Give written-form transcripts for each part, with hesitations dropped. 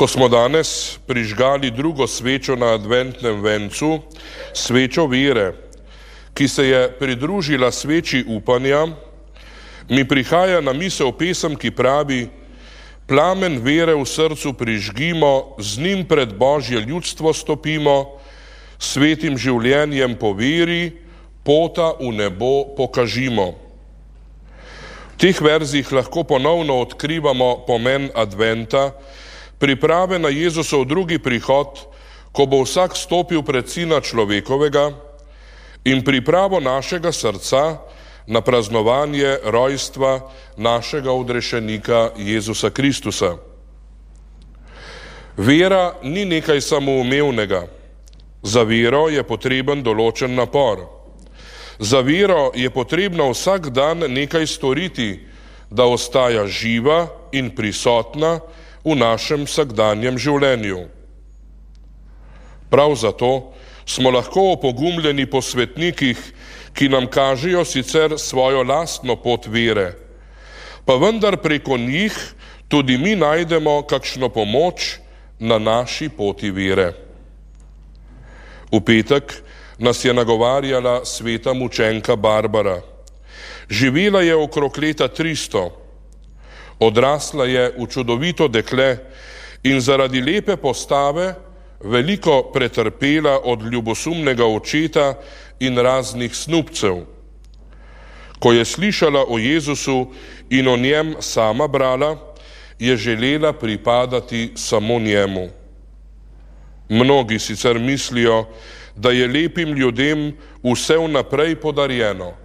Ko smo danes prižgali drugo svečo na adventnem vencu, svečo vere, ki se je pridružila sveči upanja, mi prihaja na misel pesem, ki pravi: plamen vere v srcu prižgimo, z njim pred Božje ljudstvo stopimo, svetim življenjem po veri, pota v nebo pokažimo. V teh verzih lahko ponovno odkrivamo pomen adventa, priprave na Jezusov drugi prihod, ko bo vsak stopil pred Sina človekovega, in pripravo našega srca na praznovanje rojstva našega odrešenika Jezusa Kristusa. Vera ni nekaj samoumevnega. Za vero je potreben določen napor. Za vero je potrebno vsak dan nekaj storiti, da ostaja živa in prisotna v našem vsakdanjem življenju. Prav zato smo lahko opogumljeni po svetnikih, ki nam kažejo sicer svojo lastno pot vere, pa vendar preko njih tudi mi najdemo kakšno pomoč na naši poti vere. V petek nas je nagovarjala sveta mučenka Barbara. Živela je okrog leta 300. Odrasla je v čudovito dekle in zaradi lepe postave veliko pretrpela od ljubosumnega očeta in raznih snubcev. Ko je slišala o Jezusu in o njem sama brala, je želela pripadati samo njemu. Mnogi sicer mislijo, da je lepim ljudem vse vnaprej podarjeno.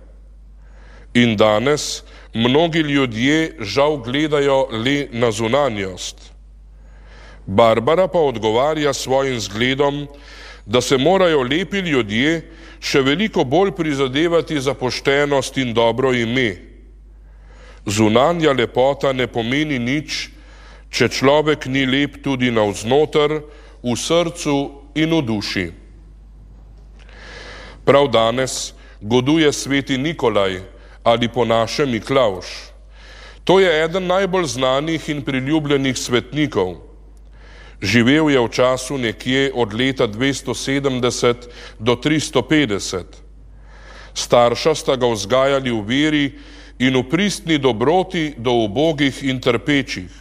In danes mnogi ljudje žal gledajo le na zunanjost. Barbara pa odgovarja svojim zgledom, da se morajo lepi ljudje še veliko bolj prizadevati za poštenost in dobro ime. Zunanja lepota ne pomeni nič, če človek ni lep tudi navznoter, v srcu in v duši. Prav danes goduje sveti Nikolaj ali po našem Miklavž. To je eden najbolj znanih in priljubljenih svetnikov. Živel je v času nekje od leta 270 do 350. Starša sta ga vzgajali v veri in v pristni dobroti do ubogih in trpečih.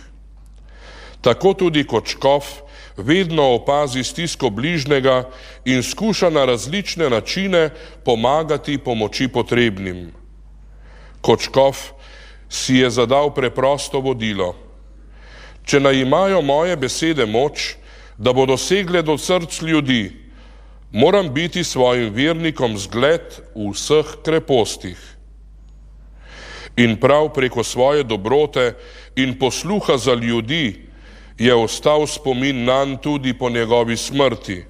Tako tudi kot škof vedno opazi stisko bližnjega in skuša na različne načine pomagati pomoči potrebnim. Kot škof si je zadal preprosto vodilo: če naj imajo moje besede moč, da bodo segle do src ljudi, moram biti svojim vernikom zgled v vseh krepostih. In prav preko svoje dobrote in posluha za ljudi je ostal spomin nanj tudi po njegovi smrti.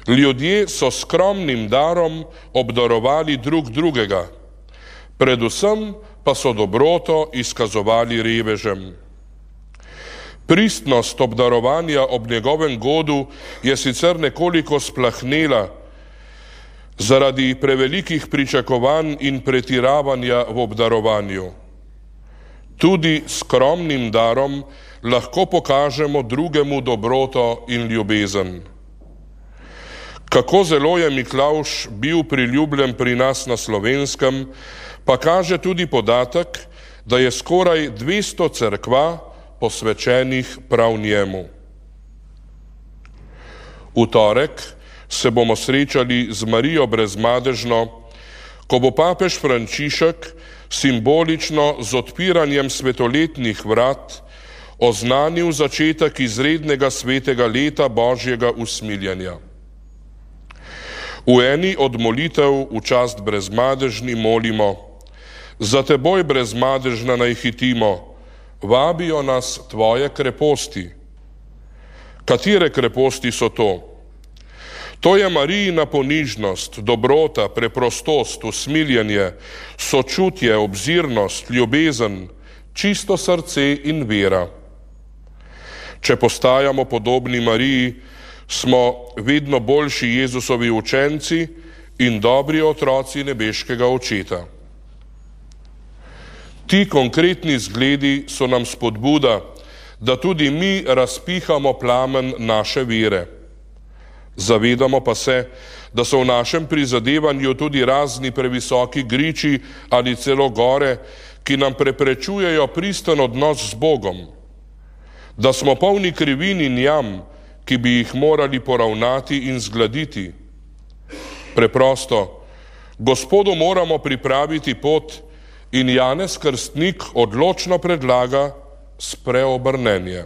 Ljudje so skromnim darom obdarovali drug drugega, predvsem pa so dobroto izkazovali revežem. Pristnost obdarovanja ob njegovem godu je sicer nekoliko splahnela zaradi prevelikih pričakovanj in pretiravanja v obdarovanju. Tudi skromnim darom lahko pokažemo drugemu dobroto in ljubezen. Kako zelo je Miklavž bil priljubljen pri nas na Slovenskem, pa kaže tudi podatek, da je skoraj 200 cerkva posvečenih prav njemu. V torek se bomo srečali z Marijo Brezmadežno, ko bo papež Frančišek simbolično z odpiranjem svetoletnih vrat oznanil začetek izrednega svetega leta Božjega usmiljenja. V eni od molitev v čast Brezmadežni molimo: za teboj, Brezmadežna, naj hitimo, vabijo nas tvoje kreposti. Katere kreposti so to? To je Marijina ponižnost, dobrota, preprostost, usmiljenje, sočutje, obzirnost, ljubezen, čisto srce in vera. Če postajamo podobni Mariji, smo vedno boljši Jezusovi učenci in dobri otroci nebeškega Očeta. Ti konkretni zgledi so nam spodbuda, da tudi mi razpihamo plamen naše vere. Zavedamo pa se, da so v našem prizadevanju tudi razni previsoki griči ali celo gore, ki nam preprečujejo pristen odnos z Bogom, da smo polni krivin in jam, ki bi jih morali poravnati in zgladiti. Preprosto, Gospodu moramo pripraviti pot in Janez Krstnik odločno predlaga spreobrnenje.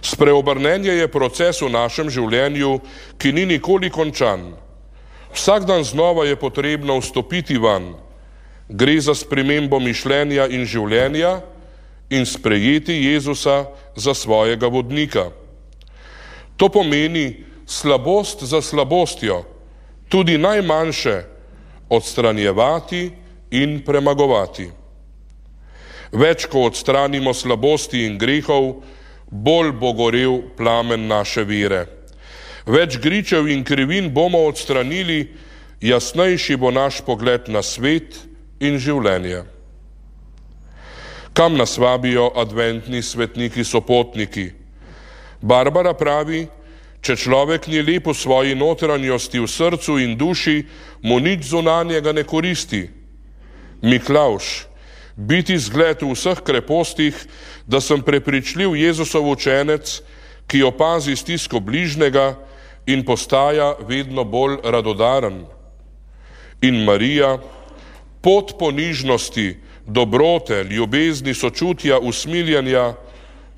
Spreobrnenje je proces v našem življenju, ki ni nikoli končan. Vsak dan znova je potrebno vstopiti vanj. Gre za spremembo mišljenja in življenja in sprejeti Jezusa za svojega vodnika. To pomeni slabost za slabostjo, tudi najmanjše, odstranjevati in premagovati. Več, ko odstranimo slabosti in grehov, bolj bo gorel plamen naše vere. Več gričev in krivin bomo odstranili, jasnejši bo naš pogled na svet in življenje. Kam nas vabijo adventni svetniki sopotniki? Barbara pravi, če človek ni lep v svoji notranjosti, v srcu in duši, mu nič zunanjega ne koristi. Miklavž, biti zgled v vseh krepostih, da sem prepričljiv Jezusov učenec, ki opazi stisko bližnjega in postaja vedno bolj radodaren. In Marija, pot ponižnosti, dobrote, ljubezni, sočutja, usmiljenja,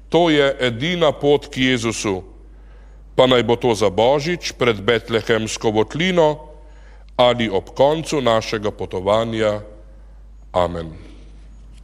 to je edina pot k Jezusu, pa naj bo to za Božič pred betlehemsko votlino ali ob koncu našega potovanja. Amen.